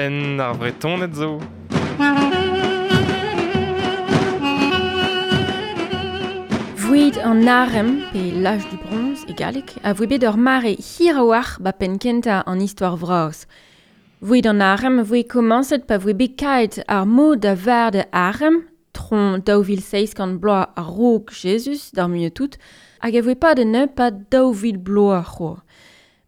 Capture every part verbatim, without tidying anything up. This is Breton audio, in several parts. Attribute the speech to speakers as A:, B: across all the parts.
A: Penn ar Vretoned zo.
B: Voed an arem, pe l'âge du bronze e galleg, a voe bet ur mare hir a-walc'h ba penn kentañ an istor vras. Voed an arem voe komañset pa voe bet kaet ar mod da vard arem, tron daou vil seizh kant bloaz a-raok Jezuz, d'ar muiañ tout, hag a voe pad un pa daou vil bloaz c'hoazh.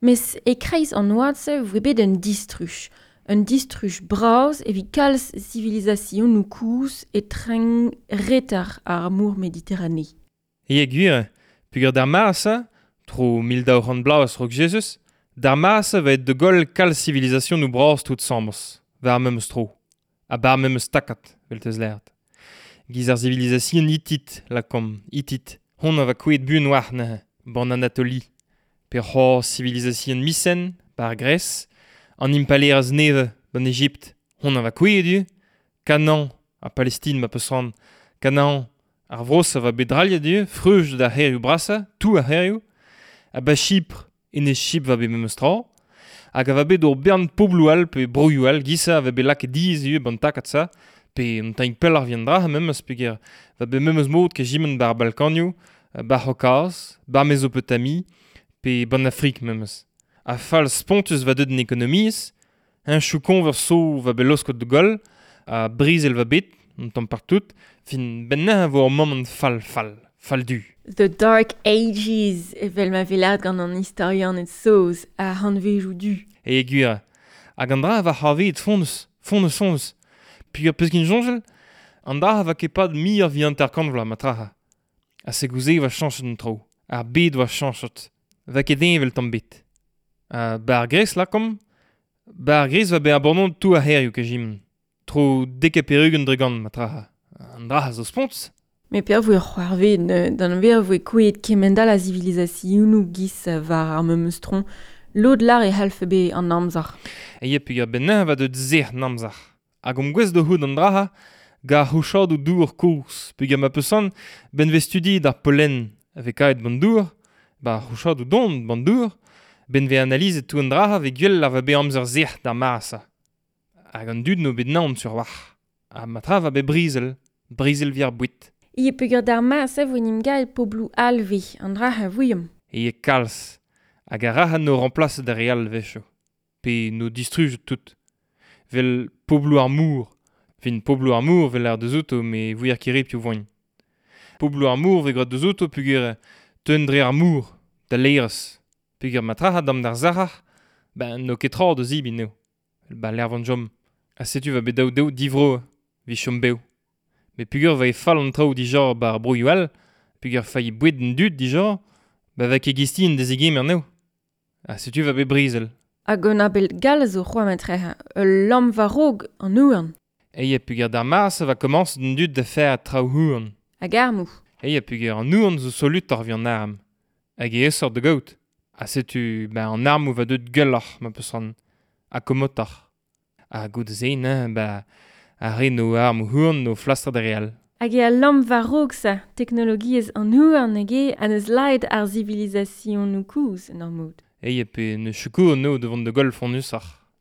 B: Mes e-kreiz an oad-se voe bet un distruj. Un distruj bras evit kalz sivilizasionoù kozh e treñ reter ar mor Mediterane.
A: E gwir, peogwir d'ar mare-se, tro mil daou c'hant bloaz a-raok Jezuz, d'ar mare-se va aet da goll kalz sivilizasionoù bras tout asambles, war ar memes tro, ha bar memes takad, vel teus lâret. Giz ar sivilizasion Hittit, lakaomp, Hittit, hon a va kouezhet buan war neuze, ban Anatoli. Pe c'hoazh sivilizasion Mycène, bar Grèce, an impalaerezh nevez, ban Ejipt, hon a va kouezhet ivez, Canaan, ha Palestine ma peus c'hoant, Canaan, ar vro-se va bet drailhet ivez, freuj d'ar c'hêrioù brasañ, tout ar c'hêrioù, ha ba Chypre, enez Chypre va bet memes tra, hag a va bet ur bern pobloù all pe broioù all, giz-se a va bet lakaet diaes ivez ban takad-se, pe un tamm pelloc'h evit an dra memes, peogwir va bet memes mod keziment bar Balkanioù, bar C'haokaz, bar Mezopotamie, pe ban Afrik memes. Ha fall spontus va deut en ekonomiezh, un chou-koñvers so va bet laosket da goll, ha brezel va bet, un tamm partout, fin bennañ a vo ur moment fall fall, fall du.
B: The Dark Ages, evel ma vez lâret gant an istorianed saoz, ar c'hantvedoù du.
A: E gwir, hag an dra va c'hoarvezet fonnus, fonnus fonnus. Peogwir peus ket soñjal, an dra va ket pad muioc'h evit hanter-kant vloaz ma traha. Ha se gouze va chañchet an traoù, ar bed va chañchet, va ket heñvel tamm bet. Ha ba ar Gres lakaomp, ba ar Gres va bet abandon tout ar c'hêrioù keziment. Tro dek ha pevar-ugent dre gant ma traha. An dra zo spontus.
B: Met peoc'h voe c'hoarvezet, d'an ver voe kouezhet kement-all a sivilizasionoù giz war ar memes tron, lod lar e c'hallfe bet an amzer.
A: E peogwir bennañ va deut sec'h an amzer. Hag omp gouest da c'hoût an dra gant c'houchadoù dour kozh. Peogwir ma peus c'hoant, ben vez studiet ar pollen a vez kaet ban dour, ba c'houchadoù don ban dour, ben vez analizet tout an dra vez gwell ar va bet amzer sec'h d'ar mare-se. Hag an dud no bet naon sur war. Ha ma tra va bet brezel, brezel vi ar boued.
B: E peogwir d'ar mare-se vo n'im gael pobloù alve, an dra a vouiomp.
A: E kalz, hag ar ra no remplaset ar re all vecho. Pe no distrujet tout. Vel pobloù ar mour. Fin pobloù ar mour vel ar deus outo, me vouier ket re piv voagn. Pobloù ar mour vez graet deus outo peogwir teun dre ar mour, da laerezh. Peogwir ma tra dam d'ar zac'har, ben n'o ket tra da zibin eo. Ba l'ervan jom. Ha setu va bet daou daou divro, vi chom bev. Met peogwir va e fall an traoù dija bar broioù all, peogwir failh boued an dud dija, ba va ket gistin da zegemer anezho. Ha setu va bet brezel.
B: Hag un abel gall zo c'hoant matreha, ul lamm war-raok an houarn.
A: E peogwir d'ar mare-se va komañs an dud da faire traoù houarn.
B: Hag armoù.
A: E peogwir an houarn zo solutoc'h evit an arm. Hag e aesoc'h da gaout. Ha setu ba an armoù va deut gwelloc'h ma peus c'hoant. Ha komotoc'h. Ha goude-se neuze ba ar re no armoù houarn no flastr da re all.
B: Hag eo al lamm war-raok sa, teknologiezh an houarn hag eo an eus laet ar sivilizasionoù kozh en ur mod.
A: E pe ne sikour no da vont da goll fonnusoc'h.